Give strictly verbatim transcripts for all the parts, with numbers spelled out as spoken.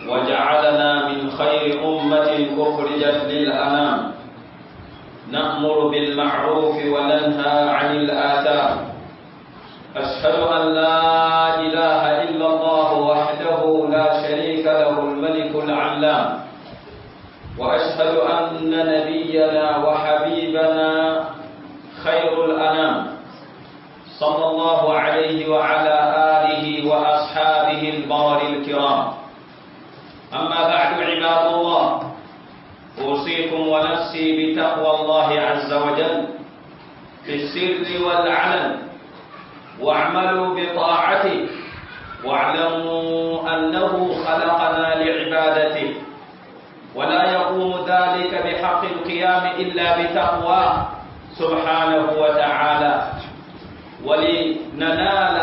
وجعلنا من خير أمة أخرجت للأنام، نأمر بالمعروف وننهى عن الآثام. أشهد أن لا إله إلا الله وحده لا شريك له الملك العلام، وأشهد أن نبينا وحبيبنا خير الأنام صلى الله عليه وعلى آله وأصحابه البرر الكرام. أما بعد، عباد الله، أوصيكم ونفسي بتقوى الله عز وجل في السر والعلن، واعملوا بطاعته، واعلموا أنه خلقنا لعبادته، ولا يقوم ذلك بحق القيام إلا بتقواه سبحانه وتعالى. ولننال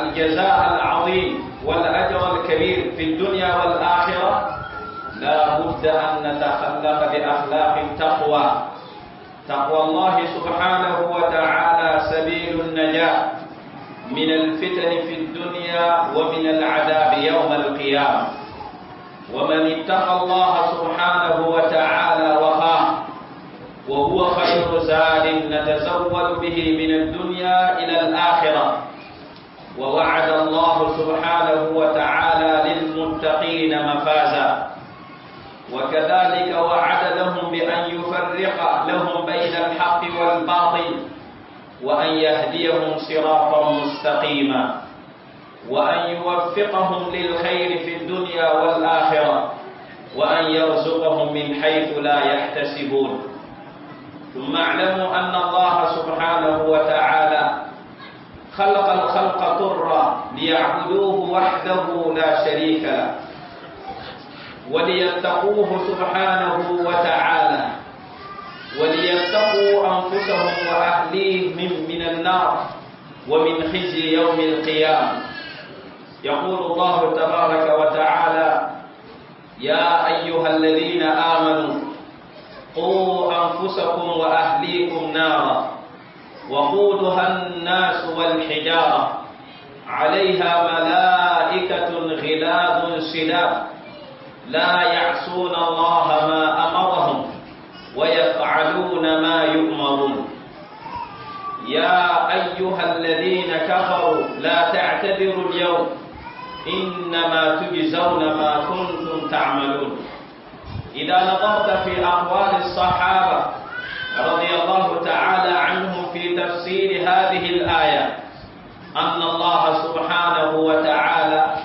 الجزاء العظيم والأجر الكبير في الدنيا والآخرة لا بد أن نتخلق بأخلاق التقوى. تقوى الله سبحانه وتعالى سبيل النجاة من الفتن في الدنيا ومن العذاب يوم القيامة. ومن اتقى الله سبحانه وتعالى وقاه، وهو خير زاد نتزود به من الدنيا إلى الآخرة. ووعد الله سبحانه وتعالى للمتقين مفازا، وكذلك وعد لهم بأن يفرق لهم بين الحق والباطل، وأن يهديهم صراطا مستقيما، وأن يوفقهم للخير في الدنيا والآخرة، وأن يرزقهم من حيث لا يحتسبون. ثم اعلموا أن الله سبحانه وتعالى خلق الخلق طرا ليعبدوه وحده لا شريك له، وليتقوه سبحانه وتعالى، وليتقوا أنفسهم وأهليهم من النار ومن خزي يوم القيامة. يقول الله تبارك وتعالى: يا أيها الذين آمنوا قوا أنفسكم وأهليكم نارا وقودها الناس والحجارة عليها ملائكة غلاظ شداد لا يعصون الله ما أمرهم ويفعلون ما يؤمرون. يا أيها الذين كفروا لا تعتذروا اليوم إنما تجزون ما كنتم تعملون. إذا نظرت في أقوال الصحابة رضي الله تعالى عنهم في تفسير هذه الآية أن الله سبحانه وتعالى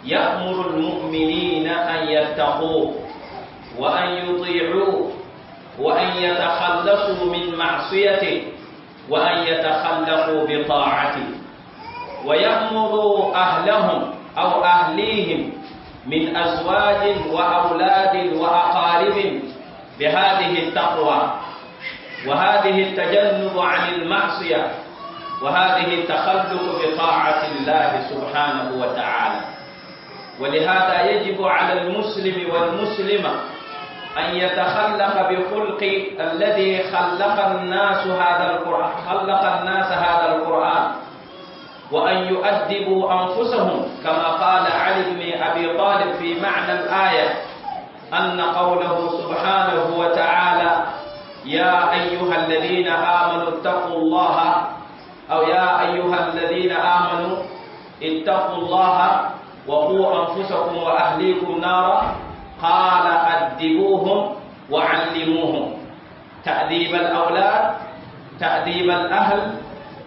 يأمر المؤمنين أن يتقوه وأن يطيعوه وأن يتخلصوا من معصيته وأن يتخلقوا بطاعته، ويأمر أهلهم أو أهليهم من أزواج وأولاد وأقارب بهذه التقوى وهذه التجنب عن المعصية وهذه التخلق بطاعة الله سبحانه وتعالى. ولهذا يجب على المسلم والمسلمة أن يتخلق بخلق الذي خلق الناس هذا القرآن، خلق الناس هذا القرآن، وأن يؤدبوا أنفسهم كما قال علي بن أبي طالب في معنى الآية أن قوله سبحانه وتعالى: يا أيها الذين آمنوا اتقوا الله، أو يا أيها الذين آمنوا اتقوا الله وقوا أنفسكم وأهليكم نارا، قال أدبوهم وعلموهم. تأديب الأولاد، تأديب الأهل،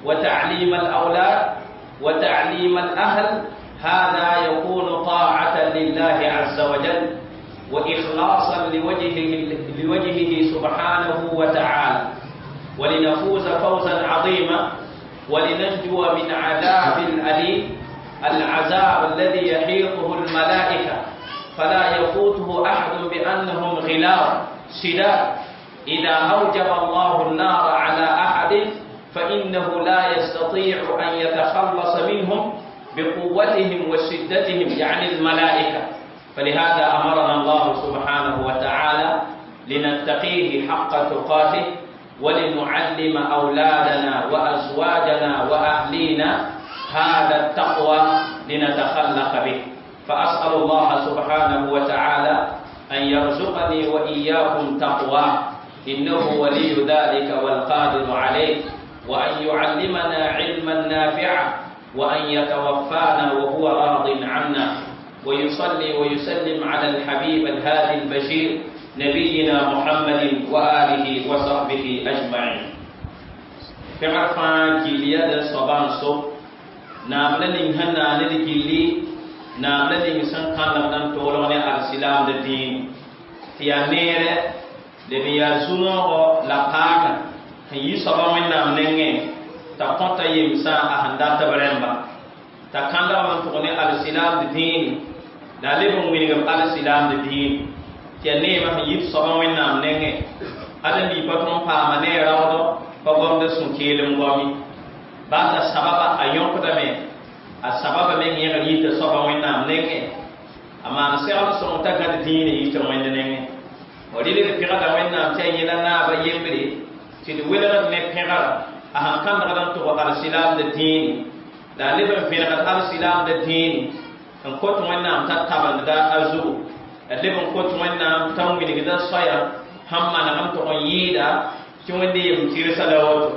وتعليم الأولاد وتعليم الأهل، هذا يكون طاعة لله عز وجل وإخلاصا لوجهه, لوجهه سبحانه وتعالى، ولنفوز فوزا عظيما ولننجو من عذاب الأليم، العذاب الذي يحيطه الملائكة فلا يفوته أحد بأنهم غلاظ شداد. إذا أوجب الله النار على أحد فإنه لا يستطيع أن يتخلص منهم بقوتهم وشدتهم، يعني الملائكة. فلهذا أمرنا الله سبحانه وتعالى لنتقيه حق تقاته ولنعلم أولادنا وأزواجنا وأهلينا هذا التقوى لنتخلق به. فأسأل الله سبحانه وتعالى أن يرزقني وإياكم تقواه إنه ولي ذلك والقادر عليه وأن يعلمنا علما نافعا وأن يتوفانا وهو راض عنا ويصلي ويسلم على الحبيب الهادي البشير نبينا محمد وآله وصحبه أجمعين pẽgr fãa gill yaa d soabã n so naam la ning sẽn na ned gilli naam la ning sẽn kãndemd n toolg ne alsilaamd dĩin tɩ yaa neere leb n yaa zu-noogɔ la paagã sẽn yi soabã wẽnnaam nengẽ t'a kõta yemsã a sẽn dat b rẽmba t'a kãndgame n tʋg ne alsilaamd dĩini la a leb n wilgb alsilaamd dĩini tɩ yaa neemã sẽn yit soabã wẽnnaam nengẽ ad n lii pa tõnd paama ne a raoodɔ pa gomda sũ-keelem goame baa t'a sababa a yõkdame a sababa meng yẽgd yita soaba wẽnnaam nengẽ a maan segl sõng t'a gãd dĩinã yita wẽnd nengẽ rɩl d pẽgda wẽnnaam tɩ a yẽla naaba yembre tɩ d welgd ne pẽgra a sẽn kãndgd n tʋg alsilaamda dĩini la a leb n vẽnegd alsilaamda dĩini n kot wẽnnaam t'a tabendda a zugu a leb n kot wẽnnaam t'a wilgda soaya sẽn maneg n tʋg n yɩɩda tɩ wẽnde yem tɩrsa la woto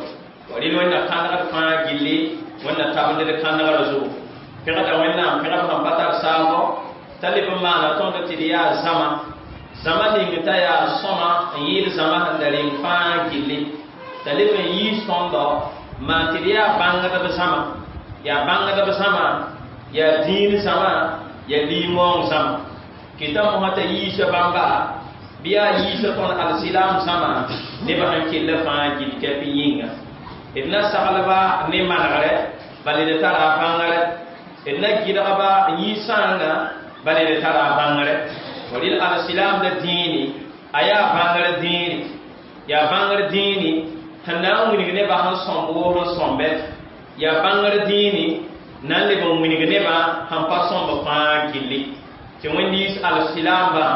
rɩl wẽnna kãndgd fãa gilli wẽnna tabend d kãndgrã zugu pẽgda wẽnnaam pẽgb sẽn pa tar saambo t'a leb n maana tõnd tɩ d yaa zãma zãma ning t'a yaa sõma n yɩɩd zãma sẽn da reng fãa gilli t'a leb n yiis tõndo maan tɩ d yaa bãngdb zãma yaa bãngdb zãma yaa dĩin zãma yaa lim-waoong zãma kɩta mosã t'a yiisa bãmba bɩ yaa yiisa tõnd alsilaam zãma nebã sẽn kell fãa gill kɛp yĩnga d na saglba ne manegre bala d tara a bãngre d na gɩdgba n yɩ sãanga bala d tara a bãngre rɩl alsilaamda dĩini a yaa bãngr dĩini yaa bãngr dĩini sẽn na n wilg nebã sẽn sõmb woo sẽn sõmbe yaa bãngr dĩini na n leb n wilg nebã sẽn pa sõmb fãa gilli tɩ wẽnd yiis alsilaambã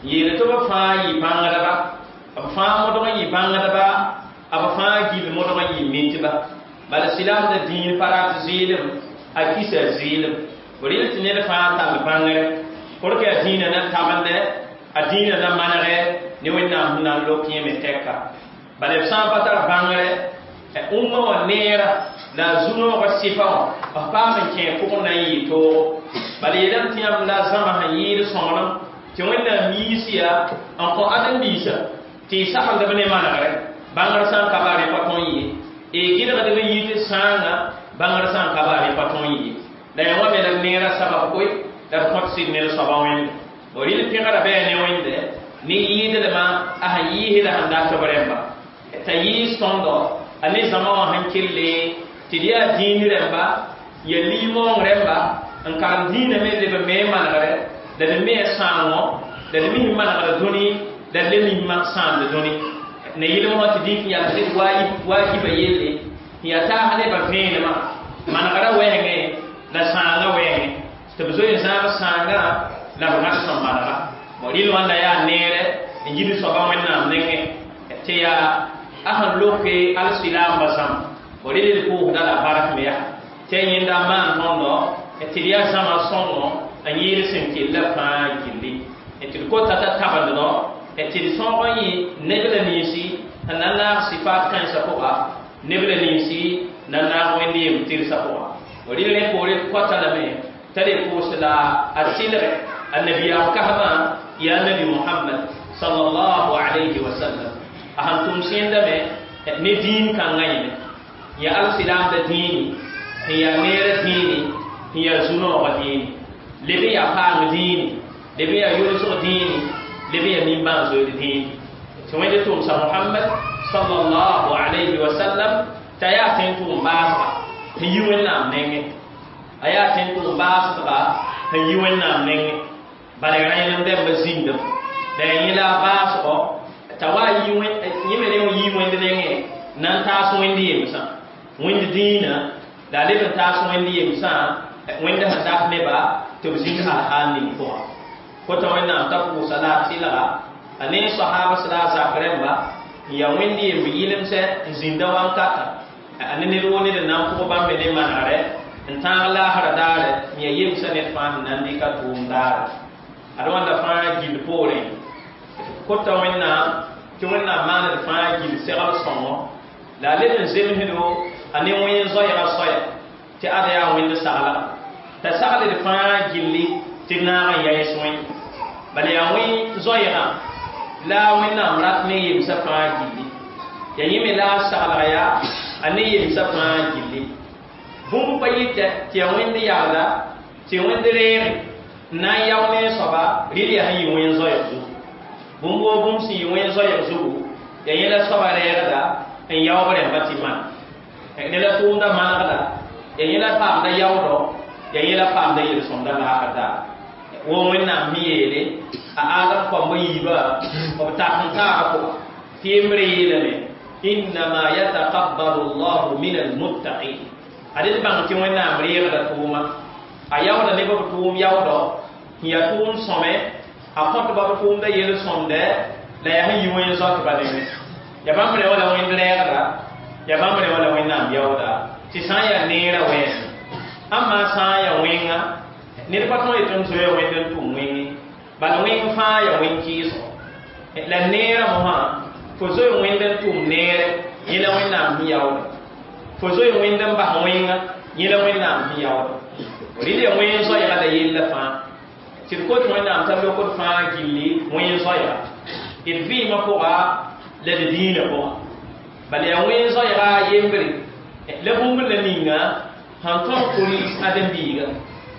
n yeel tɩ b fãa yɩ bãngdba b fãa modg n yɩ bãngdba b fãa gill modg n yɩ mitba bala silaamda dĩin pa rat zɩɩlem a kisa zɩɩlem rɩl tɩ ned fãa tall bãngre pʋr a dĩinã na tabende a dĩinã na manegɛ ne wẽnnaam sẽn na n lok yẽme tɛka bala b sã n pa tar bãngre ũmma wã neera la a zu-noogã sɩfa wã b paam n kẽ pʋgẽ na n yɩ toogo bala yeelame tɩ yãmb la zãma sẽn yɩɩd sõŋlem tɩ wẽnnaam yiis yaa n kõ ãdem-biisã tɩ y sagendb ne manegre bãngr sã n ka ba rẽ pa tõe n ye y gɩlgdb n yɩ tɩ sãanga bãngr sã n ka ba rẽ pa tõe n ye la yaa wã me la d neerã sabab koe la d kõt sɩd ned soabã wẽnde rɩl pẽgra bɩ ne wẽnde ne yɩɩdlmã a sẽn yɩɩsda sẽn dat b rẽmba t'a yɩɩs tõndo a ne zãma wã sẽn kelle tɩ d yaa dĩin rẽmba ya lim-waoong rẽmba n karem dĩinã me leb n me manegre la d me sãango la d mis manegr dũni la d le mis sãamd dũni ne yɩlem wã tɩ dĩk n yaa d waajiba yelle n yaa taas nebã vẽenemã manegrã wɛɛngẽ la sãangã wɛɛngẽ tɩ b zoe n zãag sãangã la b gãd sẽn manega rɩl wãnda yaa neere n yid soabã wẽnnaam nengẽ tɩ yaa a sẽn loke alsilaambã zãma rɩl d pʋʋsda la bark me yaa tɩ a yẽnda n maan tõndo tɩ d yaa zãma sõngo n yɩɩd sẽn kella fãa gilli tɩ d kota t'a tabenddo tɩ d sõog n yɩ neb la ninsi sẽn na n naag sɩfaat kãensã pʋga neb la ninsi na n naag wẽnd yem tɩrsã pʋga rɩl rẽ poore d kota lame t'a le pʋʋs la a tɩlgɛ a nabiyaam kasmã yaa nabi Muhammad sallallahu alayhi wa sallam a sẽn tʋm sẽndame ne dĩin kãngã yẽme yaa alsilaamda dĩini sẽn yaa neerã dĩini sẽn yaa zu-noogã dĩini leb n yaa paang dĩini leb n yaa yʋlsg dĩini leb n yaa nimbãan-zoeer dĩini tɩ wẽnd tʋmsa Muhammad sallallahu alayhi wa sallam t'a yaa tẽn tʋʋm baasga sẽn yi wẽnnaam nengẽ a yaa tẽn tʋʋm baasdga sẽn yi wẽnnaam nengẽ bala rẽnem dẽmba zĩndem la yaa yẽ la a baasgɔ t'a wa yẽ me rẽ yi wẽnd nengẽ na n taas wẽnd yemsã wẽnd dĩinã la a leb n taas wẽnd yemsã wẽnd sẽn dat neba tɩ b zĩnd alhaal ning pʋgã kota wẽnnaam t'a pʋʋsa la a tɩlga a ne sahabas la a zak rẽmba n yaa wẽnd yemb yɩlemsɛ n zĩnda wankata a ne ned woo ned n na n pʋg bãmb me ne manegre n tãag laasra daare n yaa yemsã ned fãa sẽn na n dɩka tʋʋm daare ad wãnda fãa gill poorẽ kota Wẽnnaam tɩ Wẽnnaam maand d fãa gill segl sõngo la a leb n zemsdo a ne wẽn zoɛɛga soaya tɩ ad yaa wẽnd saglga t'a sagl d fãa gilli tɩ d naag n yaɩs wẽnd bala yaa wẽn zoɛɛgã la Wẽnnaam rat ne yemsã fãa gilli ya yẽ me la a saglga yaa a ne yemsã fãa gilli bũmb pa yɩtɛ tɩ yaa wẽnd yagda tɩ wẽnd reege n na n yao ne soaba rɩl yaa sẽn yɩ wẽn zoɛɛg zugu bũmb woo bũmb sẽn yɩ wẽn zoɛɛg zugu yaa yẽ la soaba reegda n yaoog rẽmba tɩ maan ne la tʋʋmda manegda yaa yẽ la paamda yaoodɔ yaa yẽ la paamda yel-sõmda laasr daar wo Wẽnnaam me yeele a Adam koamba yiibã b tak n taaga pʋga tɩ yembre yeelame innama yataqabbalu llahu min almuttaqin ad d bãng tɩ Wẽnnaam reegda tʋʋma a yaoodã ne b tʋʋm yaoodɔ n yaa tʋʋm sõme a kõtba b tʋʋmda yel-sõmdɛ la yaa sẽn yɩ wẽn zoatba nengẽ ya bãmb rẽ wala wẽnd rɛɛgda ya bãmb rẽ wala Wẽnnaam yaooda tɩ sã n yaa neerã wẽen ãmma sã n yaa wẽnga ned pa tõe tɩ n zoe wẽnd n tʋm wẽnge bala wẽng fãa yaa wẽn kɩɩsgo la neerã mosã fo zoe wẽnd n tʋm neere yẽ la Wẽnnaam sẽn yaooda fo zoe wẽnd n bas wẽnga yẽ la Wẽnnaam sẽn yaooda rɩl ya wẽn zoɛɛga la yella fãa tɩ d kot Wẽnnaam t'a lokd fãa gilli wẽn zoɛɛga d vɩɩmã pʋga la d dĩinã pʋga bala yaa wẽn zoɛɛga yembre la bũmb la ninga sẽn tõog kuri ãdem-biiga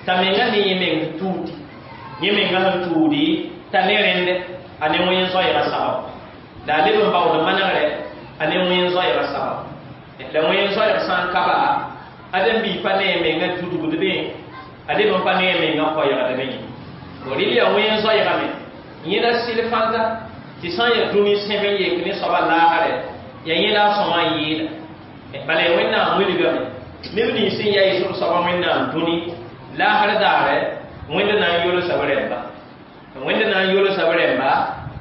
t'a menga ne yẽ meng tuudi yẽ menga sẽn tuudi t'a ne rẽndɛ a ne wẽn zoɛɛga sabab la a leb n baood manegrɛ a ne wẽn zoɛɛga sabab la wẽn zoɛɛg sã n ka ba ãdem-biig pa ne a menga tudgd be a leb n pa ne a menga koɛɛgd be yẽ rɩl yaa wẽn zoɛɛgame yẽ la sɩl fãnta tɩ sã n yaa dũni sẽb n yek ne soaba laasrɛ yaa yẽ la a sõma n yɩɩda bala yaa Wẽnnaam wilgame neb nins sẽn yaɩs b soaba Wẽnnaam dũni laasr daare Wẽnd na n yolsa b rẽmba Wẽnd na n yolsa b rẽmba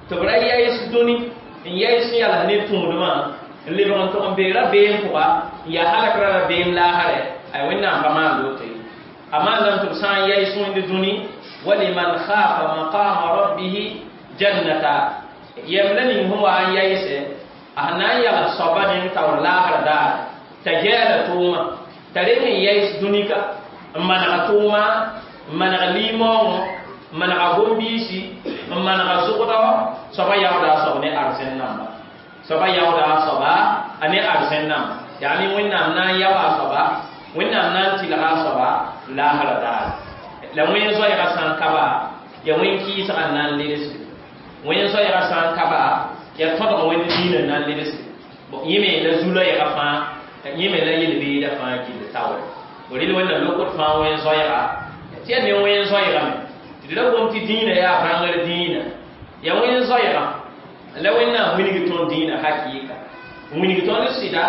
tɩ b ra yaɩs dũni n yaɩs n yals ne tũudmã n lebg n tʋg n bee rabeem pʋga n yaa halakra rabeem laasrɛ ay Wẽnnaam pa maan woto ye a maandame tɩ b sã n yaɩs wẽnd dũni waliman khafa maqama rabbihi jannata yɛm la ning sẽn wa n yaɩsɛ a sẽn na n yals soaba neng taoor laasr daare t'a gɛɛla tʋʋma t'a reng n yaɩs dũni ka n manega tʋʋma n maneg limaoongõ n manega gom-biisi n manega zʋgdɔ soaba yaooda a soab ne arzẽn namba soaba yaooda a soaba a ne arzẽn namba yaa ne Wẽnnaam na n yao a soaba Wẽnnaam na n tɩlga a soaba laasra daare la wẽn zoɛɛga sã n ka ba yaa wẽn kɩɩsga n na n ledsde wẽn zoɛɛga sã n ka ba yaa tõdg wẽnd diinã n na n ledsde yẽ me la zu-loɛɛga fãa yẽ me la yel-beeda fãa gill taoore rɩl Wẽnnaam lokd fãa wẽn zoɛɛga tɩ yaa ne wẽn zoɛɛgame tɩ d ra gom tɩ dĩinã yaa bãngr dĩinã yaa wẽn zoɛɛga la Wẽnnaam wilg tõnd dĩinã hakɩɩka n wilg tõnd sɩda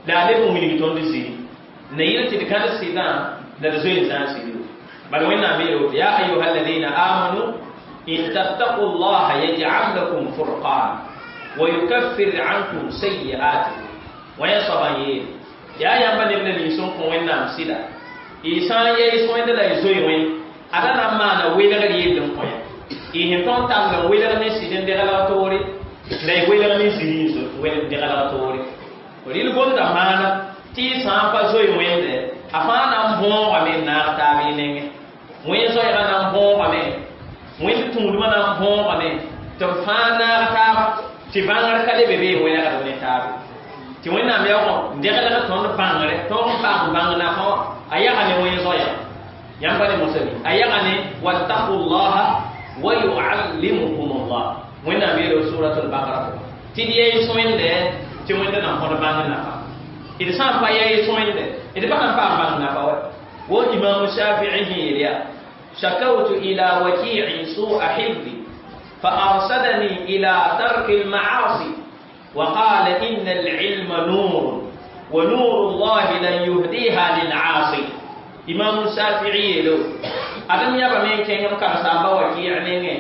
la a leb n wilg tõnd ziri na yɩl tɩ d kãd sɩdã la d zoe n zãag sɩd bala Wẽnnaam yeela woto ya ayuha alladina amanu in tattaqu llaha yaj'al lakum furqana wa yukaffir ankum sayyi'atikum wã yaa soabã n yeele yaa yãmba neb la nins n kõ Wẽnnaam sɩda y sã n yaɩs wẽnd la y zoe wẽnd ada na n maana welgr yell n kõ ya y sẽn tõnd tall n welg ne sɩd n deglg toore la y welg ne ziri n deglg toore rɩl gomda maana tɩ y sã n pa zoe wẽnde a fãa na n bõogame n naag taab y nengẽ wẽn zoɛɛga na n bõogame wẽnd tũudmã na n bõogame tɩ b fãa naag taaba tɩ bãngr ka le be be wẽnegd ne taabe tɩ Wẽnnaam yaoog deglg tõnd bãngre tõog n paam bãng nafã wã a yaga ne wẽn zoɛɛga yãmb pa ne mosame a yaga ne wattaqu llaha wa yuallimukum llah Wẽnnaam yeelo suratul bakara pʋga tɩ d yaɩs wẽnde tɩ wẽnd na n kõd bãng nafa d sã n pa yaɩs wẽnde d pa sãn paam bãng nafa wa wo Imam Shafii sẽn yeel yaa شكوت إلى وكيع سوء حفظي فأرشدني إلى ترك المعاصي وقال إن العلم نور ونور الله لن يهديها للعاصي Imam Shafi'i yelo adam yaba men kẽngem karsaamba Waki' nengẽ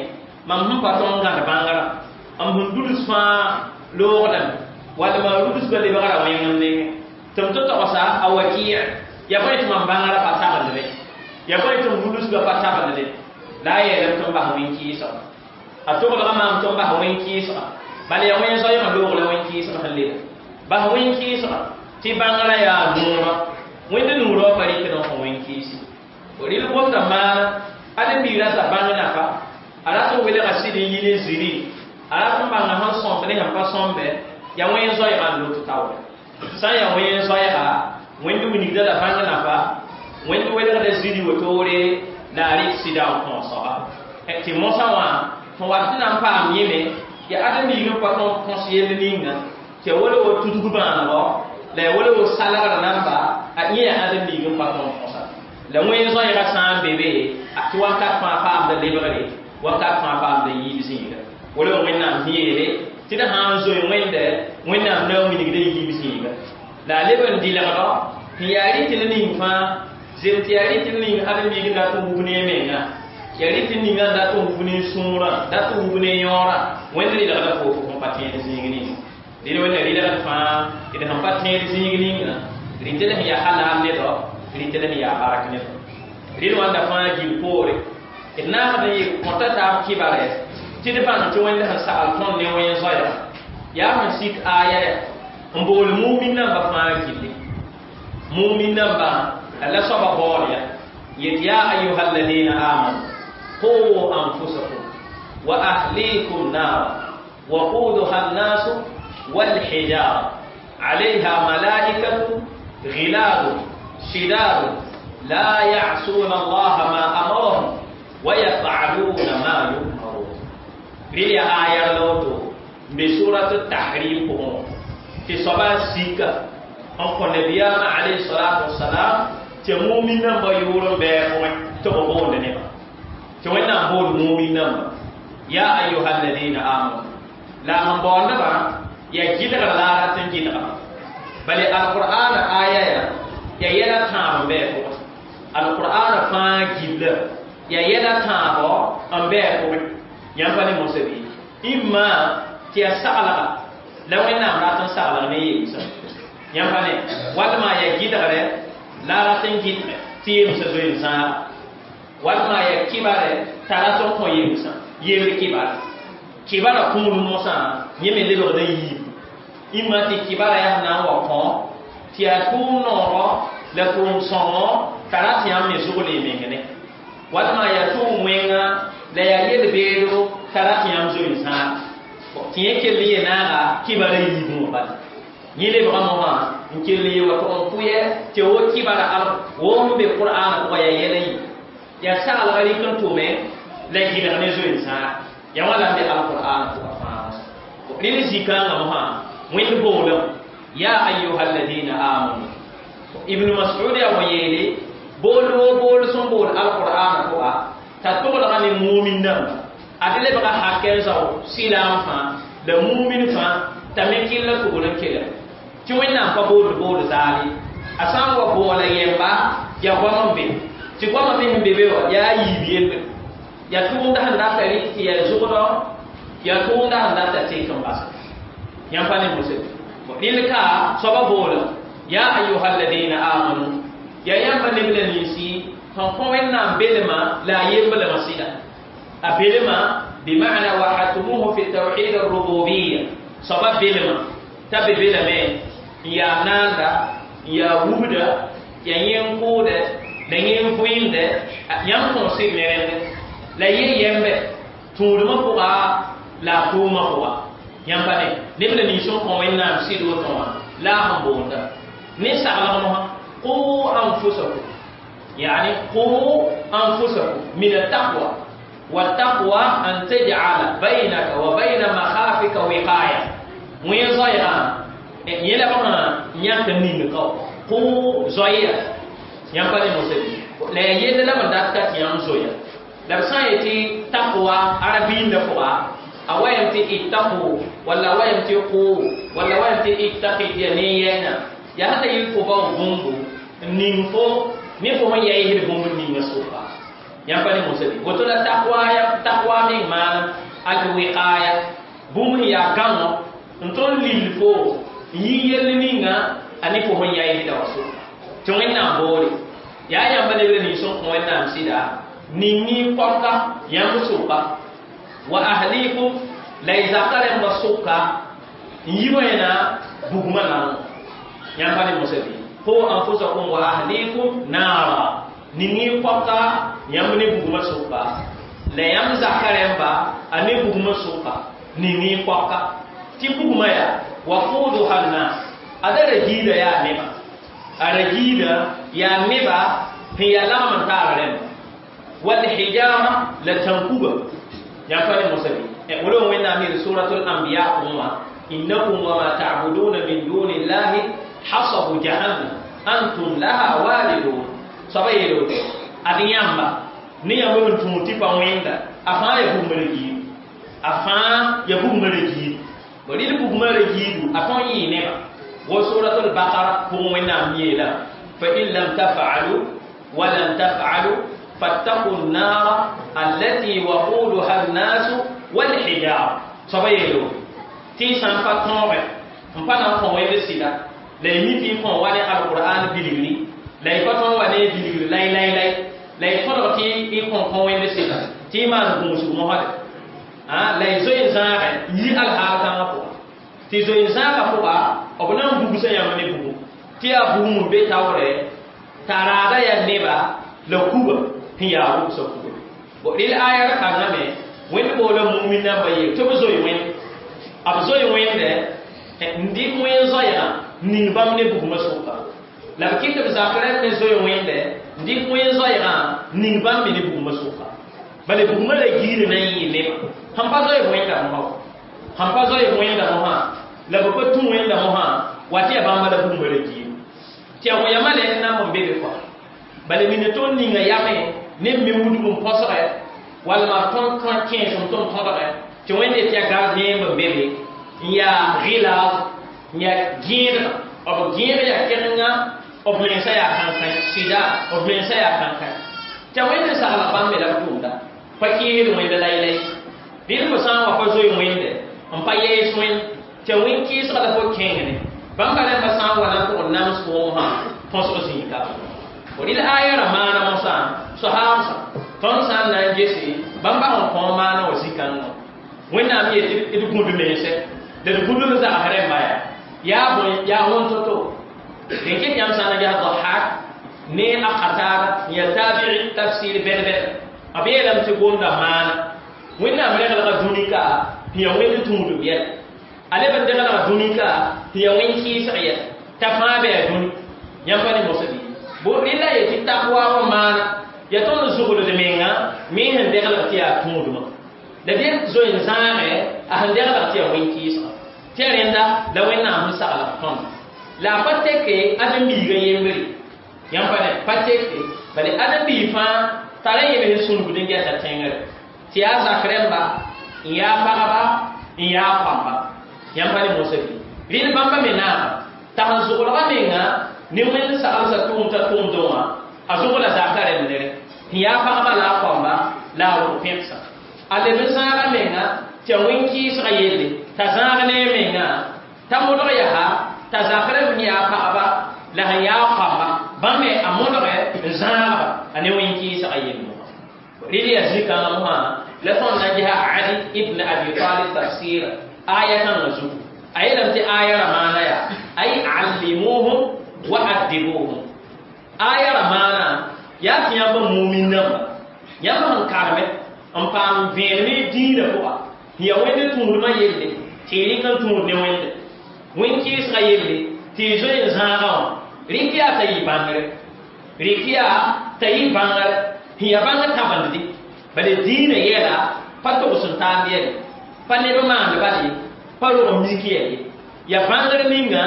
mam sẽn pa tõnd gãd bãngrã m sẽn duls fãa loogdame wall ma rudsbã lebgra wẽngem nengẽ tɩ m tɩ togsa a Waki' Ya bõe tɩ mam bãngrã pa tabendre ya bõe tɩ m wulsgã pa tabendre la a yeelame tɩ m bas wẽn-kɩɩsga a toglga maam tɩ m bas wẽn-kɩɩsga bala yaa wẽn-zoɛɛgã loog la wẽn-kɩɩsg sẽn leba bas wẽn-kɩɩsga tɩ bãngrã yaa noorã wẽnd nuurã pa rɩkd n kõ wẽn-kɩɩsi rɩl gomda maana ade-biig rata bãng nafa a rat n welga sɩd n yi ne ziri a rat n bãnga sẽn sõmb ne sẽn pa sõmbe yaa wẽn-zoɛɛgã n lot taoore sã n yaa wẽn-zoɛɛga wẽnd wilgda la bãng nafa wẽnd welgda ziri wotoore la a rɩk sɩda n kõ soaba tɩ mosã wã sẽn wat tɩ na n paam yẽme yaa ade-biig n pa tõnd kõs yell ninga tɩ ya wala wo tudg bãanegɔ la ya wala wo salgrã namba a yẽ yaa ade-biig n pa tõnd kõsa la wẽn-zoɛɛgã sã n be be tɩ wakat fãa paamda lebgre wakat fãa paamda yiib zĩiga wala wẽnnaam sẽn yeele tɩ d sã n zoe wẽnde wẽnnaam na n wilgda yiib zĩiga la a leb n dɩlgdɔ sẽn yaa rɩtl ning fãa zem tɩ yaa rɩtl ning ade-biig n dat n wub ne a menga yaa rɩtl ninga n dat n wub ne sũurã dat n wub ne yõorã wẽnd rɩlgda fo fo sẽn pa tẽed zĩig ninga rɩl wẽnna rɩlgd fãa d sẽn pa tẽed zĩig ninga rɩtl sẽn yaa halal nedɔ rɩtl sẽn yaa bark nedɔ rɩl wãnda fãa gil poore d naagd n yɩ kõta taab kɩbare tɩ d bãng tɩ wẽnd sẽn sagl tõnd ne wẽn-zoɛɛga yaa sẽn sik aya ya n bool mumin namba fãa gilli mumin namba la soaba baool ya yet ya ayuha alladina amanu qu anfusakum wa ahlikum nara وقودها الناس والحجارة عليها ملائكة غلاب شداد لا يعصون الله ما أمرهم ويفعلون ما يؤمرون ريلي آية لوتو بسورة التحريم بهم في صبا سيكا أنكو نبينا عليه الصلاة والسلام تمومن نمبا يورن بيكوين تبقون نبا تمومن بول مؤمن نمبا يا أيها الذين آمنوا لا من بول نبا يا جدغ لا راتن جدغ بل القرآن آية يا يلا تام بيكو القرآن فا جدغ يا يلا تام أم بيكو ينفني موسبي إما تيا سألغ لو إن أمراتن سألغ نيجي yãmb pa ne walma ya gɩdgre la a rat n gɩdge tɩ yemsã zoe n zãaga walma ya kɩbare t'a rat n kõ yemsã yemb kɩbara kɩbara kũud mosã yẽ me lebgd n yiib ĩmma tɩ kɩbara yaa sẽn na n wa kõ tɩ yaa tʋʋm noorɔ la tʋʋm sõngo t'a rat yãmb me zʋgl y meng ne walma yaa tʋʋm wẽnga la yaa yel-beedo t'a rat yãmb zoe n zãaga tɩ yẽ kell n ye-naaga kɩbara yiibẽ wã bala yẽ lebga mosã n kell n ye wa tʋg n pʋyɛ tɩ wo kɩbara al wo n be qur'ana pʋgã yaa yɛla yi yaa saglga rɩk n tʋme la gɩlg ne zoe n zãag yaa wã la n be alqur'ana pʋgã fãa rẽnd zikãngã mosã wẽnd boolem ya ayuha alladina amanu ibn mas'ud yaa wã yeele bool wo bool sẽn bool alqur'ana pʋga t'a toglga ne mumin dãmba ad lebga hakɛ n zao silaam fãa la mumin fãa t'a me kɩlla tʋgl n kelg tɩ wẽnnaam pa bood bood zaale a sã n wa boola yɛmba yaa goam n be tɩ goamã me sẽn be be wã yaa a yiib yembre yaa tʋʋmda sẽn data rɩk tɩ yaa zʋgdɔ yaa tʋʋmda sẽn data tek n basa yãmb pa ne mosɛ rɩl ka soaba boola ya ayuha alladina amanu yaa yãmba neb la ninsi sẽn kõ wẽnnaam belma la a yemblmã sɩda a belma bima'na wahatumuhu fi tawhid arrububiya soaba belma t'a be belame n yaa naanda n yaa wubda yaa yẽ n kʋʋdɛ la yẽ n vɩɩmdɛ yãmb kõosg ne rẽnde la yẽ yɛmbe tũudmã pʋga la a tʋʋmã pʋga yãmb pa ne neb la nins n kõ wẽnnaam sɩd woto wã la a sẽn boonda ne saglg mosã qu anfusakum yani qu anfusakum min attaqwa والتقوى أن تجعل بينك وبين مخافك وقاية وين زايا yẽla bãmba yãk n ning kao kʋ zoeya yãmb pa ne mosã la yaa yell la b dat ka tɩ yãmb zoya la b sã n yetɩ taqwa arabiindã pʋga a wa yam tɩ ittaqu walla a wa yam tɩ qu walla a wa yam tɩ ittaqi tɩ yaa ne yɛɛna yaa sẽn ta yɩl fo bao bũmbu n ning fo ne fo sẽn yaɩsd bũmb n ninga sʋka yãmb pa ne mosã woto la taqwa taqwa meng maana alwiqaya bũmb sẽn yaa gãngɔ n tõnd lill fo n yɩ yell ninga a ne fo sẽn yaɩsda wa sʋka Tɩ Wẽnnaam boore yaa yãmba lebr nins n kõ Wẽnnaam sɩda ning-y pɔka yãmb sʋka wa ahlikum la y zaka rẽmbã sʋka n yi wẽna bugmã naong yãmba ne mosa bɩ qu anfusakum wa ahlikum naara ning-y pɔka yãmb ne bugmã sʋka la yãmb zaka rẽmba a ne bugmã sʋka ning-y pɔka tɩ bugmã yaa waquduha nnas ada ra giida yaa neba a ra giida yaa neba sẽn yaa lagm n taar rẽmba walhijara la tãnkuga yãmb pa ne mosa bɩ wala Wẽnnaam yeel suratul anbiya pʋgẽ wã innakum wama ta'buduna min duni llahi hasabu jahannam antum laha waridun soaba yeel woto ad yãmba ne yãmb n tũud tɩ pa wẽnda a fãa ya bugmã ra giidu a fãa ya bugmã ra giidu rɩl bugmã ra giidu a tõn yɩɩ neba wo suratul baqara pʋgẽ Wẽnnaam yeela fa in lam taf'alu wa lam taf'alu fattaqu an-nara allati waquduha an-nasu wal-hijara soaba yeel woto tɩ y sã n pa tõoge n pa na n kõ wẽnd sɩda la y mi tɩ y kõ wa ne alqur'an bilgri la y pa tõnd wa ne bilgri lay lay lay la y tõdg tɩ y kõ kõ wẽnd sɩda tɩ y maan gũusg mosde la y zoe n zãage n yi alhaal kãngã pʋga tɩ zoe n zãagã pʋga b na n bugsa yãmb ne bugum tɩ yaa bugum n be taoore t'a raada yaa neba la kuga sẽn yaa rʋbsã kuga rel aya ra kangame Wẽnd boola mumin namba yeel tɩ b zoe wẽnd b zoe wẽnde n dɩk wẽn zoɛɛgã ning bãmb ne bugmã sʋka la b kɩt b zak rẽmb me zoe wẽnde n dɩk wẽn zoɛɛgã ning bãmb me ne bugmã sʋka bala bugmã la giir na n yɩ neba sẽn pa zoe wẽnda mosã sẽn pa zoe wẽnda mosã la b pa tũ wẽnda mosã wa tɩ yaa bãmba la bugmã la giir tɩ yaa wẽyamã la n namb n be be kɔa bala mina tõnd ninga yamẽ ne b me wudg n põsgɛ walma tõnd kõ kẽesem tõnd tõdgɛ tɩ Wẽnde tɩ yaa gardien n be be n yaa gɩlaag n yaa gẽedga b gẽeg yaa kẽnenga b mensã yaa kãnkãe sɩda b mensã yaa kãnkãe tɩ a Wẽnd n sagla bãmb me la b tʋʋmda pa kɩɩsd Wẽnd laylay rɩl fo sã n wa pa zoe Wẽnde n pa yɛɛs Wẽnd tɩ a wẽn kɩɩsga la fo kẽngne bãmba rẽmbã sã n wa na n tʋg n nams foom sã põsg zĩiga rɩl aya ra maana mosã sohaamsã tõnd sã n na n gese bãmba sẽn kõ maana wã zĩ-kãngã Wẽnnaam yeel tɩ d gũd mense la d gũd b zags rẽmba yaa yaa bõe yaa wõn to-to dẽn ket yãmb sã n na ges Dahak ne a Qatada n yaa tabi'i tafsir bɛd-bɛd b yeelame tɩ gomda maana Wẽnnaam reglga dũni ka tɩ yaa Wẽnd tũudum yɛla a leb n deglga dũni ka tɩ yaa wẽn kɩɩsg yɛla t'a fãa bɩ yaa dũni yãmb pa ne mosã bɩ bo rɩla ye tɩ taqwa wã maana yaa tõnd zugld menga me sẽn deglg tɩ yaa tũudmã la dẽ zoe n zãage a sẽn deglg tɩ yaa wẽn kɩɩsga tɩ yaa rẽnda la Wẽnnaam sẽn saglg tõnd la a pa teke ãdem-biigã yembre yãmb pa ne pa teke bala ãdem-biig fãa tara yẽ sẽn sũnugd n gɛta tẽngre tɩ yaa zak rẽmba n yaa pagba n yaa pãmba yãmb pa ne mosã bɩ rɩl bãmba me naama t'a sẽn zʋglga menga ne Wẽnd saglsã tʋʋm t'a tʋʋmdẽ wã a zʋgla zaka rẽmb nere sẽn yaa pagba la a pãmba la a rʋg pẽbsã a leb n zãaga menga tɩ a wẽn kɩɩsgã yelle t'a zãag ne a menga t'a modg yaa t'a zak rẽmb sẽn yaa pagba la sẽn yaa pãmba bãmb me a modge n zãagba a ne wẽn kɩɩsgã yelle rɩl yaa zĩ-kãngã mosã la tõnd na n gesa Ali ibn Abi Talib tafsir aya kãngã zugu a yeelame tɩ aya ra maana yaa ay allimuhum wa addibuhum aya ra maana yaa tɩ yãmb mumin namba yãmb sẽn kareme n paam vẽenem dĩinã pʋga sẽn yaa Wẽnd tũudmã yelle tɩ y rɩk n tũud ne Wẽnde wẽn kɩɩsgã yelle tɩ y zoe n zãagã wã rɩk yaa t'a yɩ bãngre rɩk yaa t'a yɩ bãngre sẽn yaa bãngr tãbendde bala dĩinã yɛla pa togs n taam yɛle pa neb maand bal ye pa rog mik yɛl ye yaa bãngr ninga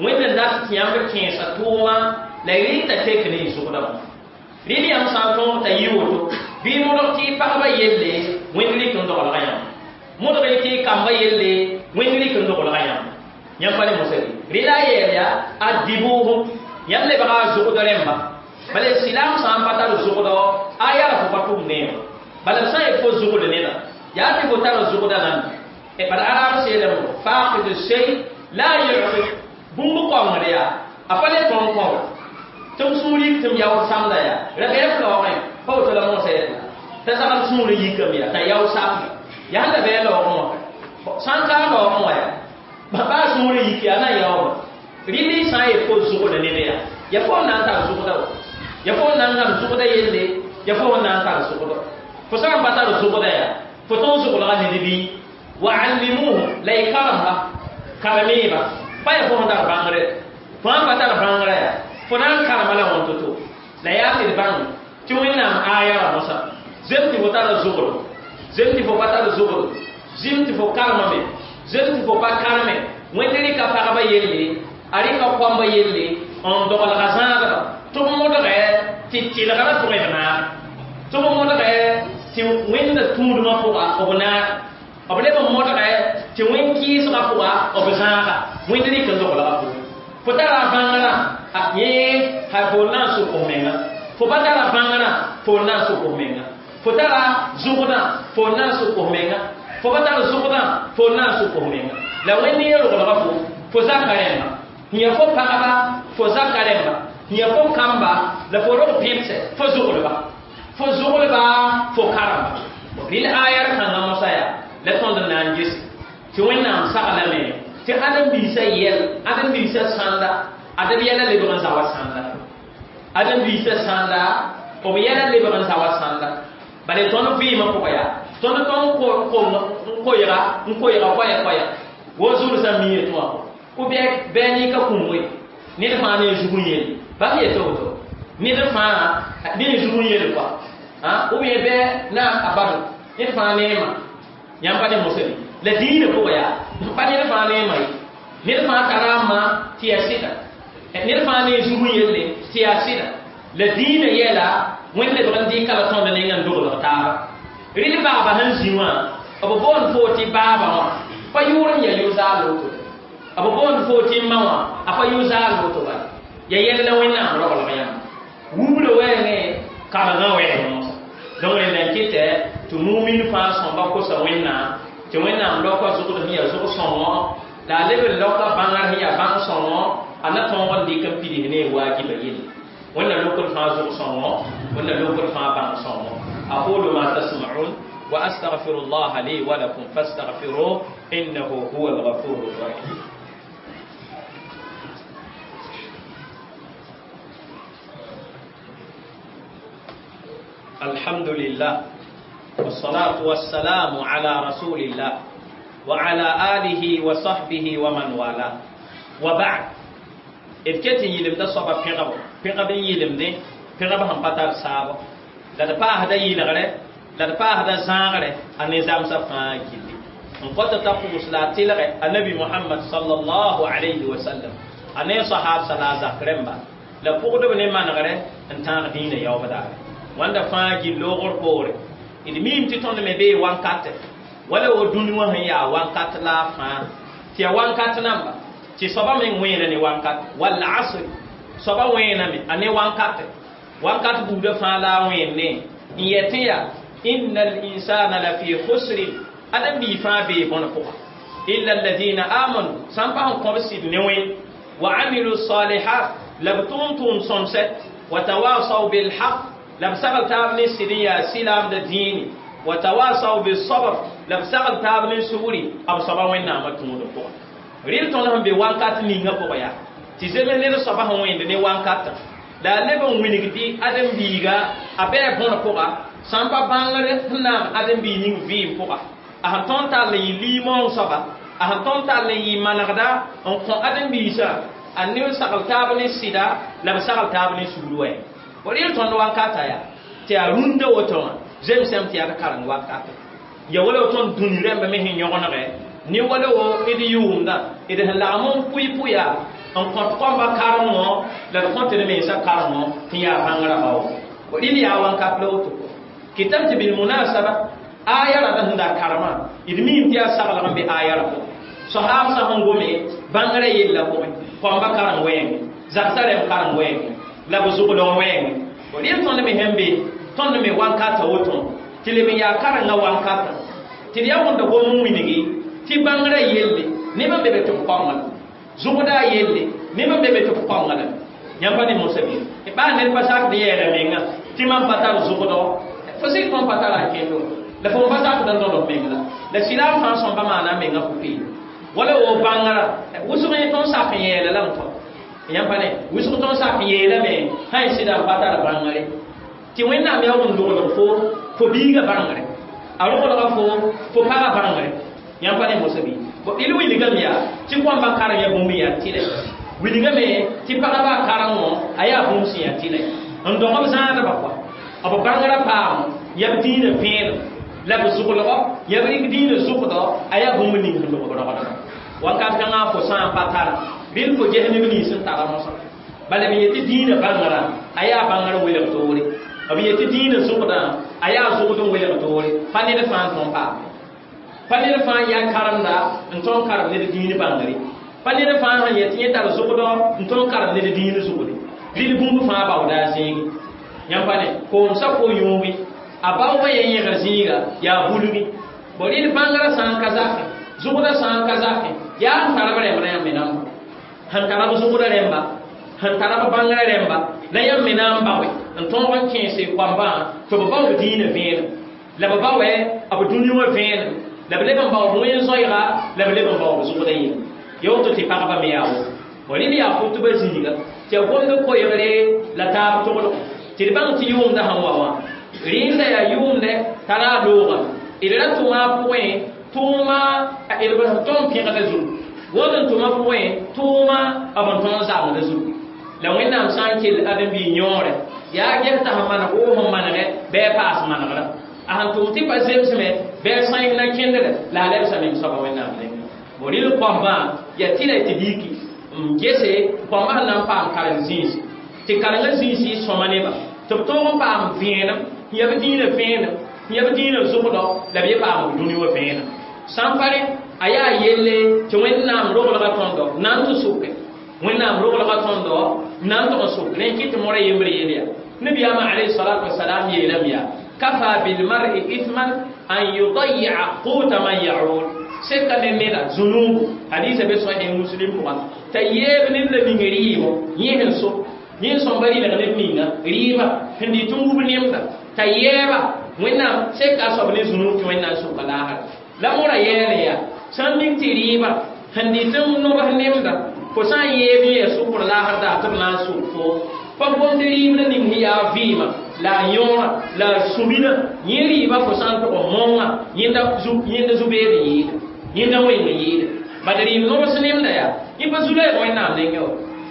Wẽnd n dat tɩ yãmb kẽesa tʋʋma la y rɩk t'a tek ne y zʋgdã wã rɩl yãmb sã n tõog t'a yɩ woto bɩ modg tɩ y pagba yelle Wẽnd rɩk n doglga yãmb modg y tɩ y kamba yelle Wẽnd rɩk n doglga yãmb yãmb pa ne mosã bɩ rɩla a yɛɛl yaa addibuhum yãmb lebga a zʋgd rẽmba bala silaam sã n pa tar zʋgdɔ a yaa fo pa tʋm neema bala b sã n yet fo zʋgd neda yaa tɩ fo tar zʋgda nan bala araab seelem faqidu shay la yu'ti bũmb kõngd yaa a pa le tõnd kõgd tɩ m sũur yik tɩ m yaood samda yaa ra bɩ f laoogẽ pa woto la mosã yetla t'a zagl sũurã yikame yaa t'a yao samda yaa sẽn da bɩ a laoogẽ wã sã n ka a laoogẽ wã yaa baa sũurã yik yaa na n yaoobã rɩl y sã n yet fo zʋgda ned yaa ya fo n na n tar zʋgda wa ya fo n na n gãm zʋgda yelle ya fo n na n tar zʋgda fo sã n pa tar zʋgda yaa fo tõn zʋglga ned bɩ wa allimuhum la y karemba karemeba pa ya fo sẽn tar bãngre fo sãn pa tar bãngrã yaa fo na n karema la wãn to-to la yaa tɩ d bãng tɩ wẽnnaam aaya ra mosã zem tɩ fo tara zʋgl zem tɩ fo pa tar zʋgl zim tɩ fo karemame zem tɩ fo pa kareme wẽnd rɩka pagba yelle a rɩka koamba yelle n doglga zãadba tɩ b modgɛ tɩ tɩlgrã pʋgẽ b naag tɩ b modgɛ tɩ wẽnda tũudmã pʋga b naag b leb n modgɛ tɩ wẽn-kɩɩsgã pʋga b zãaga wẽnd rɩk n doglga pʋgẽ fo tara bãngrã yẽ ha fo na n sʋk f menga fo pa tara bãngrã fo na n sʋk f menga fo tara zʋgdã fo na n sʋk f menga fo pa tar zʋgdã fo na n sʋk f menga la wẽnd yẽ roglga fo fo zaka rẽmba yã fo pagba fo zaka rẽmba yã fo kamba la fo rog pẽbsɛ fo zʋglba fo zʋglba fo karemba rɩl ayar kãngã mosã yaa la tõnd n na n ges tɩ wẽnnaam saglame tɩ ãdem-biisã yɛl ãdem-biisã sãnda adb yɛla lebg n zawa sãnda ãdem-biisã sãnda b yɛla lebg n zawa sãnda bala tõnd vɩɩmã pʋgã yaa tõnd tõnd n koɛɛga n koɛɛga koɛɛ-koɛɛ wo zulsã mi yetɩ wã ko bɩ a nika kũm we ned fãa ne zug n yel bãmb yeta woto ned fãa ne zug n yel kɔa ou bien bɩ na a bado ned fãa ne ma yãmb pa ne mosã la dĩinã pʋgã yaa pa ned fãa ne ma ye ned fãa tara a ma tɩ yaa sɩda ned fãa ne zug n yelle tɩ yaa sɩda la dĩinã yɛla wẽnd lebg n dɩka la tõnd nengã n doglg taaba rɩl baaba sẽn zĩ wã b boond fo tɩ baaba wã pa yʋʋr n ya yʋ-zaal woto b boond fo tɩ ma wã a pa yʋ-zaal woto bala ya yɛl la wẽnnaam roglg yãmb wubra wɛɛngẽ karengã wɛɛng mosã donc rẽnda n kɩtɛ tɩ mumin fãa sõmba kosa wẽnnaam tɩ wẽnnaam laoka zʋgd sẽn yaa zʋg-sõngõ la a leb n laoka bãngr sẽn yaa bãng-sõngõ a na tõog n dɩk n pids ne waajiba yelle wẽnna lokr fãa zʋg-sõngõ wẽnna lokr fãa bãng-sõngõ aqulu ma tasma'un wa astaghfiru llaha li wa lakum fastaghfiruh innahu huwa alghafuru rrahim الحمد لله والصلاة والسلام على رسول الله وعلى آله وصحبه ومن والاه وبعد إذ كتن يلم دا صبا بيغب بيغب يلم دي بيغب هم بطار سابا لا دپا هدا يلغره لا دپا هدا زاغره النظام سفا كيلي ان قد تقوس لا تلغه النبي محمد صلى الله عليه وسلم أن صحاب صلاة زكرمبا لا فقد بني منغره ان تان دين يوم دار wanda fãa gil loogr poore d miime tɩ tõnd me bee wankate wala wo dũni wã sẽn yaa wankat la a fãa tɩ yaa wankat namba tɩ soaba meng wẽena ne wankat wall asr soaba wẽename a ne wankate wankat buudã fãa la a wẽenne n yetẽ yaa inna linsana la fi khusrin ãdem-bii fãa bee bõn pʋga illa alladina amanu sã n pa sẽn kõb sɩd ne wẽn wa amilu salihat la b tʋʋm tʋʋm sõmsɛ wa tawasaw bilhaq la b sagl taab ne sɩd n yaa silaamda dĩini wa tawasaw bisabr la b sagl taab ne sugri b soaba wẽnnaamã tũudã pʋgã rɩl tõnd sẽn be wankat ninga pʋgã yaa tɩ zems ned soaba sẽn wẽnd ne wankatã la a leb n wilgd ãdem-biiga a bɩa bõn pʋga sã n pa bãngr sẽn naag ãdem-biig ning vɩɩm pʋga a sẽn tõnd tall n yɩ liimoong soaba a sẽn tõnd tall n yɩ manegda n kõ ãdem-biisã a ne sagl taab ne sɩda la b sagl taab ne sugr wɛɛng rɩl tõnd wankata yaa tɩ yaa rũndã woto wã zemsame tɩ yaa d kareng wankata ya wala tõnd dũni rãmba me sẽn yõgenegɛ ne wala wo d yʋʋmdã d sẽn lagm n pʋɩ-pʋya n kõt kõmba karengõ la d kõt d mensã karengõ tɩ yaa bãngrã bao rɩl yaa wankat la woto kɩtame tɩ bilmunasaba aya rãmba sẽn da karemã d miime tɩ yaa saglg n be aya rã pʋgẽ soahabsã sẽn gome bãngrã yella pʋgẽ kõmba kareng wɛɛngẽ zagsã rẽmb kareng wɛɛngẽ la b zʋglg wɛɛngẽ rɩl tõnd me sẽn be tõnd me wankata woto tɩ leb n yaa karengã wankata tɩ d yaa wẽnda gom n wilgi tɩ bãngrã yelle neb n be be tɩ b kõnga zʋgda yelle neb n be be tɩ b kõnga lame yãmb pa ne mosã bɩ Baa ned pa sak d yɛɛla menga tɩ mam pa tar zʋgdɔ fo sɩd tõnd pa tara a kẽndo la fo pa sakd n tõd f meng la la sɩlaam fãa sõmba maana a menga pʋ-peelem wala wo bãngrã wʋsg yẽ tõnd sak n yɛɛla lame tõ yãmb pa ne wʋsg tõnd sak n yeelame sã n sɩda n pa tar bãngre tɩ Wẽnnaam yaa n logl fo fo biiga bãngre a roglga fo fo paga bãngre yãmb pa ne mosa bɩ d wilgame yaa tɩ kõmba karem yaa bũmb yaa tɩlɛ wilgame tɩ pagba karengõ a yaa bũmb sẽn yaa tɩlɛ n dõg b zãadbã kɔa b bãngrã paam yaa b dĩinã vẽenem la b zʋglgɔ yaa b rɩk dĩinã zʋgdɔ a yaa bũmb ning sẽn log b rogdba wakat kãngã fo sã n pa tara rɩl fo ges neb nins sẽn tara mosã bala b yetɩ dĩinã bãngrã a yaa bãngrã welg toore b yetɩ dĩinã zʋgdã a yaa zʋgd n welg toore pa ned fãa n tõn paame pa ned fãa yaa karemda n tõn karem ned dĩin bãngre pa ned fãa sẽn yetɩ yẽ tar zʋgdɔ n tõn karem ned dĩin zʋgde rɩl bũmb fãa baooda a zĩigi yãmb pa ne koomsa ko yũugi a baoogã yen yẽgr zĩiga yaa bulgi bo rɩl bãngrã sã n ka zakẽ zʋgdã sã n ka zakẽ yaa n tar b rẽmb rã yãmb me na n bao sẽn tara b zʋgdã rẽmba sẽn tara b bãngrã rẽmba la yãmb me na n baoe n tõog n kẽese koambã tɩ b bao b dĩinã vẽenem la b baoɛ b dũni wã vẽenem la b leb n bao b wẽn-zoɛɛga la b leb n bao b zʋgdã yĩnga ya woto tɩ pagba me yaa woto bo rɩl yaa kʋtbã zĩiga tɩ ya gomd koɛɛgre la taab toglg tɩ d bãng tɩ yʋʋmdã sẽn wa wã rẽnda yaa yʋʋmdɛ tara a loogame d ra tʋma a pʋgẽ tʋʋma d sẽn tõnd pẽgda zugu wõnd n tʋma pʋgẽ tʋʋma b n tõnd zagda zugu la Wẽnnaam sã n kell ãdem-biig yõore yaa ges t'a sẽn maneg woo sẽn manegɛ bɩ a paas manegrã a sẽn tʋm tɩ pa zemsme bɩ a sãens na kẽndre la a lebsa meng soaba Wẽnnaam nengẽ bo rɩl koambã yaa tɩ la tɩ diki n gese koambã sẽn na n paam karem zĩisi tɩ karengã zĩisi sõma neba tɩ b tõog n paam vẽenem n yaa b dĩinã vẽenem n yaa b dĩinã zʋgdɔ la b ye paam b dũni wã vẽenem sã n pa rẽ a yaa yelle tɩ Wẽnnaam roglga tõndo na n tɩ sʋke Wẽnnaam roglga tõndo na n tʋg n sʋk rẽ kɩ tɩ mora yembre yel yaa nabiyaamã alayhi salatu wasalam yeelame yaa kafa bilmar'i ithman an yudayi'a quta man ya'ul seka ne neda zunubu hadisa be sõ en muslim pʋga t'a yeeb ned la ning rɩɩbo yẽ sẽn so yẽ sõmba rɩlg ned ninga rɩɩba sẽn dɩ tɩ n wub nemda t'a yɛɛba Wẽnnaam seka a soab ne zunub tɩ Wẽnnaam sʋka laasra la mora yɛɛle yaa sã n mik tɩ rɩɩba sẽn dɩ tɩ n nobs nemda fo sã n yeeb yẽ sʋkr laasr daa tɩ b na n sʋk fo pa gomd rɩɩbdã ning sẽn yaa vɩɩmã la a yõora la a sũbinã yẽ rɩɩba fo sã n tʋg n mõnga yẽnda zu-beed n yɩɩda yẽnda wẽng n yɩɩda bad rɩɩb nobs nemda yaa yẽ pa zu-loɛɛg Wẽnnaam nengẽ wa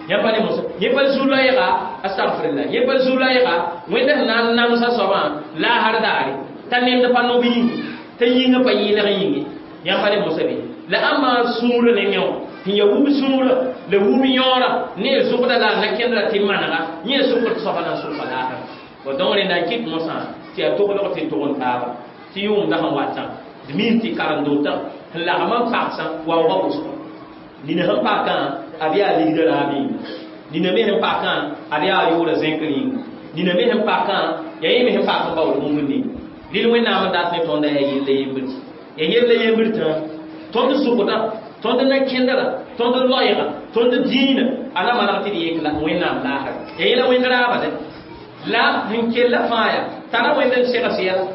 yã pa ne mosã yẽ pa zu-loɛɛga astagfirla yẽ pa zu-loɛɛga Wẽnda sẽn na n namsa soabã laasr daare t'a nemd pa nob yĩnge t'a yĩngã pa yɩɩlg yĩnge yãmb pa ne mosã bɩ la ãmba sũurã nengẽ wã sẽn yaa wub sũurã la wub yõora ne zʋgda la a na kẽndra tɩ manega yẽ sʋkr tɩ soaba na n sʋka laasra bo donc rẽnda n kɩt mosã tɩ yaa toglg tɩ tʋg n taaba tɩ yʋʋmda sẽn watã d miim tɩ karen-dotã sẽn lagm n pagsã waoogã wʋsgo nina sẽn pakã ad yaa ligdã raab yĩnga nina me sẽn pakã ad yaa yʋʋra zẽkr yĩnga nina me sẽn pakã yaa yẽ me sẽn pak n baood bũmb ninga rɩl Wẽnnaam n dat ne tõnda yaa yella yembr yaa yella yembr tã tõnd zʋgdã tõnd na kẽndra tõnd loɛɛga tõnd dĩinã a na maneg tɩ d yek la Wẽnnaam laasra yaa yẽla wẽnd raaba dɛ la sẽn kella fãa yaa tara Wẽnd n segs yɛla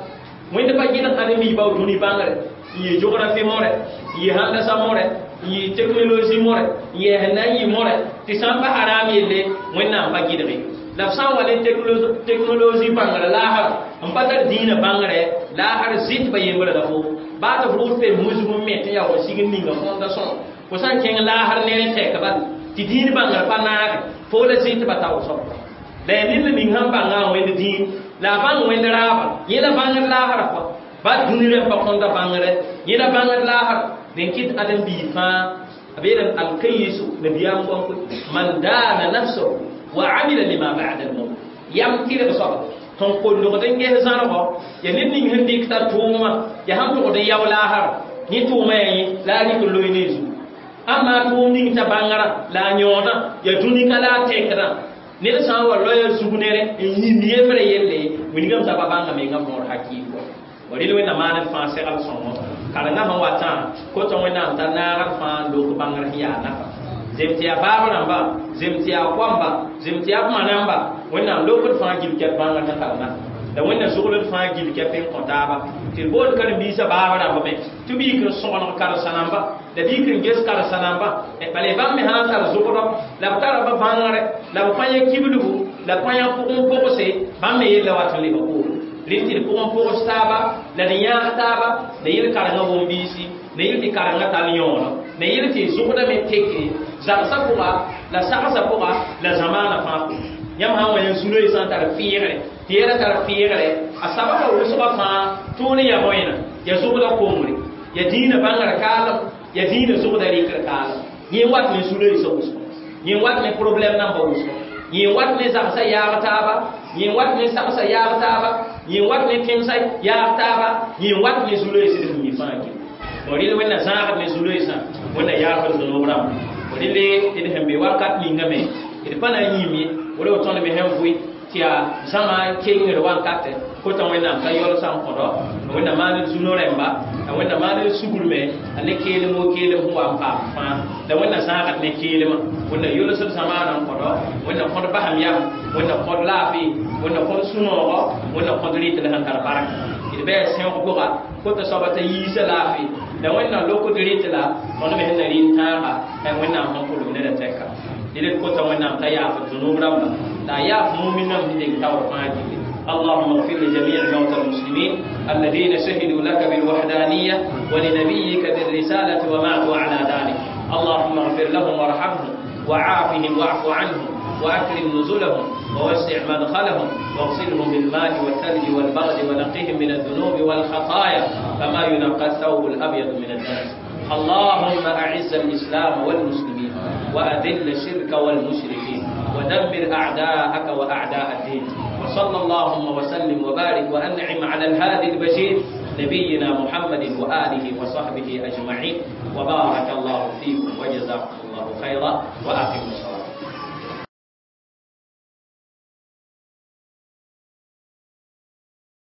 Wẽnd pa gɩdg ãdem-biig bao dũni bãngre n yɩ geografi more n yɩ handasa more n yɩ technologie more n yɩ sẽn na n yɩ more tɩ sã n pa haram yelle Wẽnnaam pa gɩdge la b sã n wa ne technologie bãngrã laasra n pa tar dĩinã bãngre laasr zɩt ba yembrã la fo baa tɩ f rʋʋd pem musg n me tɩ yaa wa sig n ninga fõnda sõma fo sã n kẽng laasr ne rẽ tɛk bal tɩ dĩin bãngrã pa naage fo la zɩt ba tao soab la yaa ned la ning sẽn bãngã a wẽnd dĩin la a bãng wẽnd raaba yẽ la bãngd laasrã kɔa ba dũni rẽmb pa kõnda bãngre yẽ la bãngd laasra dẽn kɩt ãdem-biig fãa b yeelame alkayisu nabiyaam goam koe man daana nafsahu wa amila lima ba'da almaut yam tɩrg soaba sẽn kolgd n ges zãrgɔ yaa ned ning sẽn dɩk t'a tʋʋma yaa sẽn tʋgd n yao laasra yẽ tʋʋma yaa yẽ la a rɩk n loe ne zugu ãmma tʋʋm ning t'a bãngrã la a yõodã yaa dũni ka la a tɛkdã ned sã n wa loya zug nere n yĩnd yembrã yelle wilgame sã pa bãnga menga võor hakɩɩl kɔ wa rɩl Wẽnnaam maaned fãa segl sõngo karengã sẽn watã kota Wẽnnaam t'a naagd fãa lok bãngr sẽn yaa nafa Zem tɩ yaa baab rãmba, zem tɩ yaa koamba, zem tɩ yaa b ma namba, Wẽnnaam lokd fãa gil kɛp bãngr sẽn tar na la Wẽnna zogld fãa gil kɛp n kõ taaba. Tɩ d boond karen-biisã baab rãmba me tɩ b yik n sõgeneg karen-sa-namba la b yik n ges karen-sa-namba. Bala bãmb me sã n tar zogdɔ la b tara ba bãngre la b pa yã kiblgu la pa yã pʋgẽ pʋgse, bãmb me yella wat n lebg poore. Rẽnd tɩ d pʋgẽ pʋgs taaba la d yãag taaba la yel karengã wõm-biisi la yel tɩ karengã tall yõono la yel tɩ zogdã me teke zagsã pʋga la sagsã pʋga la zamaanã fãa pʋga. Yãmb sã n wa yã zu-loeesã n tar fɩɩgre tɩ yɛla tar fɩɩgre a sababa wʋsgã fãa tõog ne yaa bõena ya zogda kongre ya dĩinã bãngrã kaalem ya dĩinã zogda rɩkr kaalem. Yẽ wat ne zu-loeesã wʋsgo, yẽ wat ne problɛm nambã wʋsgo, yẽ wat ne zagsã yaag taaba, yẽ wat ne sagsã yaag taaba, yẽ wat ne tẽmsã yaag taaba, yẽ wat ne zu-loees d sẽn mi fãa gil. Rɩl Wẽnna zãagd ne zu-loeesã, Wẽnna yaafd zũnob rãmba. Rɩle d sẽn be wakat ninga me d pa na n yĩm ye wala tõnd me sẽn vʋɩ tɩ yaa zãma kengr wankatɛ kota Wẽnnaam t'a yaoolsã n kõdɔ Wẽnna maan d zũno rẽmba la Wẽnna maan d sugr me a ne keelem wo keelem sẽn wa n paam fãa la Wẽnna zãagd ne keelmã. Wẽnna yolsd zamaanã n kõdɔ, Wẽnna kõd basem yam, Wẽnna kõd laafɩ, Wẽnna kõd sũ-noogɔ, Wẽnna kõd rɩt la sẽn tar barka. D bɩ sẽog pʋga kota soaba t'a yiisa laafɩ la Wẽnna lokd rɩt la tõnd me sẽn na rɩ n tãaga Wẽnnaam sẽn pʋlg neda tɛka. Rɩl kota Wẽnnaam t'a yaafd zũnub rãmba la a yaaf mumin nãmb sẽn deng taoor fãa gilli. اللهم اغفر لجميع موتى المسلمين الذين شهدوا لك بالوحدانية ولنبيك بالرسالة وماتوا على ذلك. اللهم اغفر لهم وارحمهم وعافهم واعف عنهم وأكرم نزلهم ووسع مدخلهم واغسلهم بالماء والثلج والبرد ونقهم من الذنوب والخطايا كما ينقى الثوب الأبيض من الدنس. اللهم أعز الإسلام والمسلمين وأذل الشرك والمشركين ودمر أعداءك وأعداء الدين. وصلى اللهم وسلم وبارك وأنعم على الهادي البشير نبينا محمد وآله وصحبه أجمعين. وبارك الله فيكم وجزاكم الله خيرا وأقيموا الصلاة.